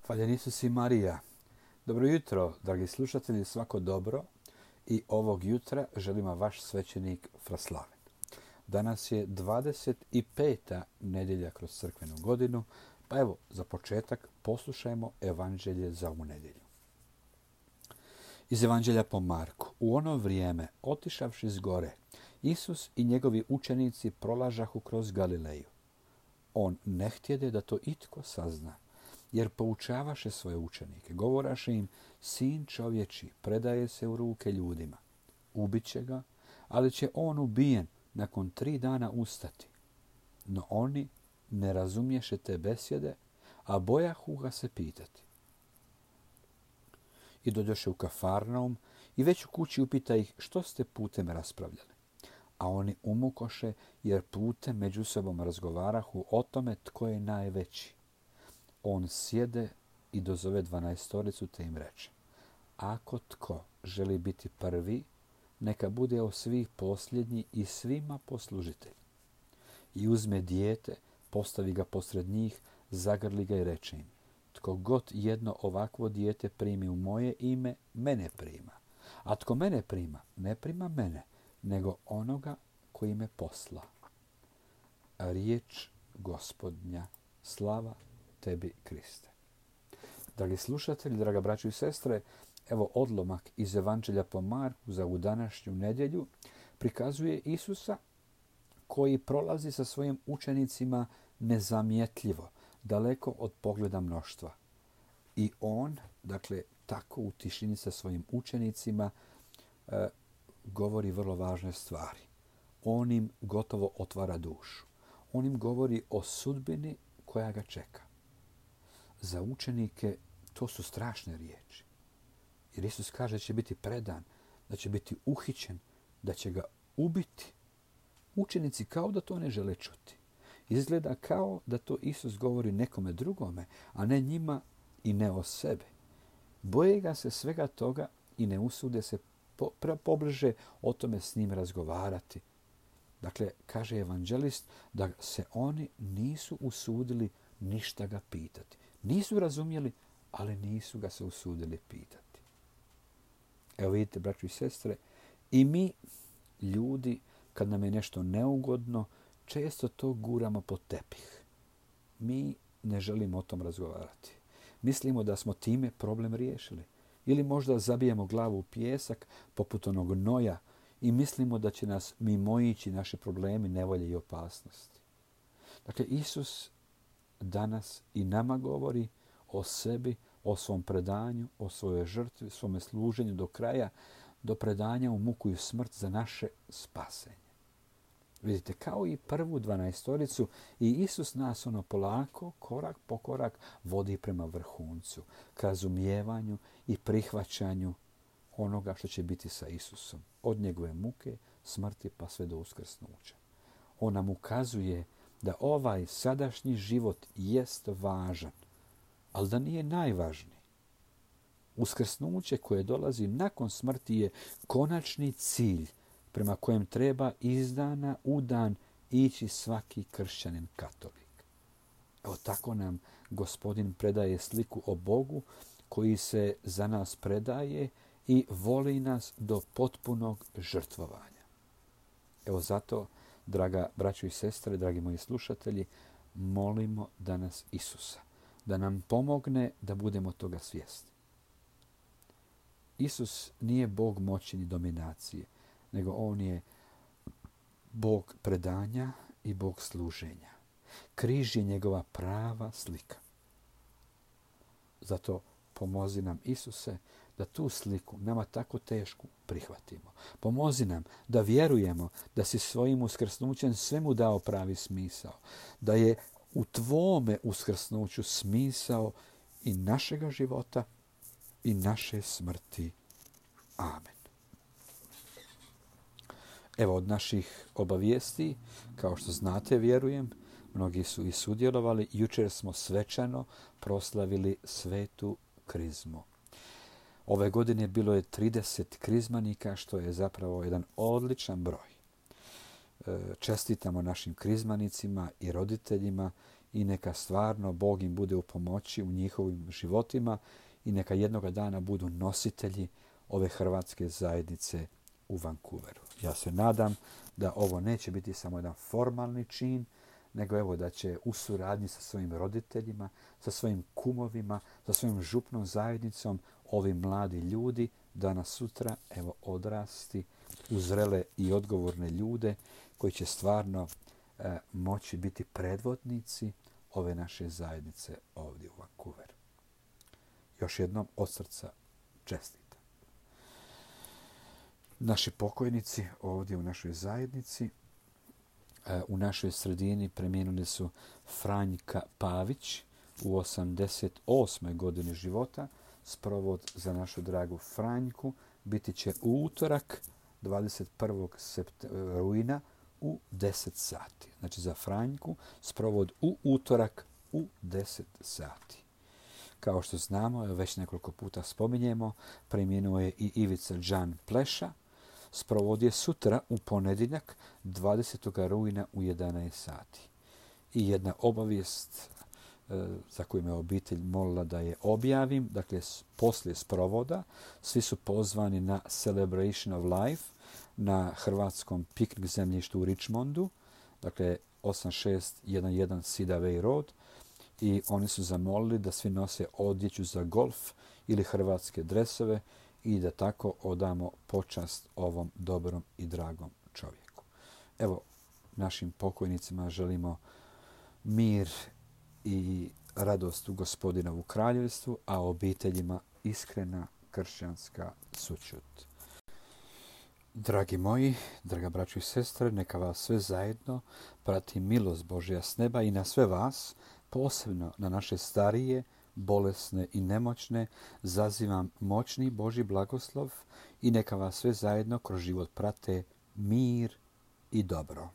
Hvaljen Isus i Marija. Dobro jutro, dragi slušatelji, svako dobro. I ovog jutra želima vaš svećenik Fraslaven. Danas je 25. nedjelja kroz crkvenu godinu, pa evo, za početak poslušajmo evanđelje za ovu nedjelju. Iz evanđelja po Marku. U ono vrijeme, otišavši s gore, Isus i njegovi učenici prolažahu kroz Galileju. On ne htjede da to itko sazna, jer poučavaše svoje učenike, govoraše im, sin čovječi predaje se u ruke ljudima. Ubiće ga, ali će on ubijen nakon 3 dana ustati. No oni ne razumješe te besjede, a bojahu ga se pitati. I dođoše u Kafarnaum i već u kući upita ih što ste putem raspravljali. A oni umukoše jer putem među sobom razgovarahu o tome tko je najveći. On sjede i dozove 12 te im reče: ako tko želi biti prvi, neka bude od svih posljednji i svima poslužitelj. I uzme dijete, postavi ga posred njih, zagrli ga i reče im: tko god jedno ovakvo dijete primi u moje ime, mene prima. A tko mene prima, ne prima mene, nego onoga koji me posla. Riječ Gospodnja, slava tebi, Kriste. Dragi slušatelji, draga braćo i sestre, evo odlomak iz evanđelja po Marku za ovu današnju nedjelju prikazuje Isusa koji prolazi sa svojim učenicima nezamjetljivo, daleko od pogleda mnoštva. I on, tako u tišini sa svojim učenicima govori vrlo važne stvari. On im gotovo otvara dušu. On im govori o sudbini koja ga čeka. Za učenike to su strašne riječi. Jer Isus kaže da će biti predan, da će biti uhićen, da će ga ubiti. Učenici kao da to ne žele čuti. Izgleda kao da to Isus govori nekome drugome, a ne njima i ne o sebi. Boje ga se svega toga i ne usude se pobliže o tome s njim razgovarati. Dakle, kaže evanđelist da se oni nisu usudili ništa ga pitati. Nisu razumjeli, ali nisu ga se usudili pitati. Evo vidite, braćo i sestre, i mi, ljudi, kad nam je nešto neugodno, često to guramo pod tepih. Mi ne želimo o tom razgovarati. Mislimo da smo time problem riješili. Ili možda zabijemo glavu u pijesak poput onog Noja i mislimo da će nas mimoići naši problemi, nevolje i opasnosti. Dakle, Isus danas i nama govori o sebi, o svom predanju, o svojoj žrtvi, svome služenju do kraja, do predanja u muku i smrt za naše spasenje. Vidite, kao i prvu 12 i Isus nas polako, korak po korak, vodi prema vrhuncu, ka razumijevanju i prihvaćanju onoga što će biti sa Isusom. Od njegove muke, smrti pa sve do uskrsnuća. On nam ukazuje da ovaj sadašnji život jest važan, ali da nije najvažniji. Uskrsnuće koje dolazi nakon smrti je konačni cilj prema kojem treba iz dana u dan ići svaki kršćanin katolik. Evo tako nam Gospodin predaje sliku o Bogu koji se za nas predaje i voli nas do potpunog žrtvovanja. Evo zato, draga braćo i sestre, dragi moji slušatelji, molimo danas Isusa da nam pomogne da budemo toga svjesni. Isus nije Bog moći ni dominacije, nego on je Bog predanja i Bog služenja. Križ je njegova prava slika. Zato pomozi nam, Isuse, da tu sliku, nama tako tešku, prihvatimo. Pomozi nam da vjerujemo da si svojim uskrsnućem svemu dao pravi smisao. Da je u tvome uskrsnuću smisao i našega života i naše smrti. Amen. Evo od naših obavijesti, kao što znate, vjerujem, mnogi su i sudjelovali. Jučer smo svečano proslavili svetu krizmu. Ove godine bilo je 30 krizmanika, što je zapravo jedan odličan broj. Čestitamo našim krizmanicima i roditeljima i neka stvarno Bog im bude u pomoći u njihovim životima i neka jednoga dana budu nositelji ove hrvatske zajednice u Vancouveru. Ja se nadam da ovo neće biti samo jedan formalni čin, nego evo da će u suradnji sa svojim roditeljima, sa svojim kumovima, sa svojim župnom zajednicom ovi mladi ljudi danas sutra evo odrasti u zrele i odgovorne ljude koji će stvarno moći biti predvodnici ove naše zajednice ovdje u Vancouveru. Još jednom od srca čestitam. Naši pokojnici ovdje u našoj zajednici, u našoj sredini preminuli su Franjka Pavić u 88. godini života. Sprovod za našu dragu Franjku biti će u utorak 21. rujna u 10 sati. Znači za Franjku sprovod u utorak u 10 sati. Kao što znamo, već nekoliko puta spominjemo, preminuo je i Ivica Đan Pleša. Sprovod je sutra u ponedjeljak 20. rujna u 11 sati. I jedna obavijest za koju me obitelj molila da je objavim. Dakle, poslije sprovoda svi su pozvani na Celebration of Life na hrvatskom piknik zemljištu u Richmondu. Dakle, 8611 Cedar Way Road. I oni su zamolili da svi nose odjeću za golf ili hrvatske dresove i da tako odamo počast ovom dobrom i dragom čovjeku. Evo, našim pokojnicima želimo mir i radost u Gospodinovu kraljevstvu, a obiteljima iskrena kršćanska sućut. Dragi moji, draga braćo i sestre, neka vas sve zajedno prati milost Božja s neba i na sve vas, posebno na naše starije, bolesne i nemoćne, zazivam moćni Božji blagoslov i neka vas sve zajedno kroz život prate mir i dobro.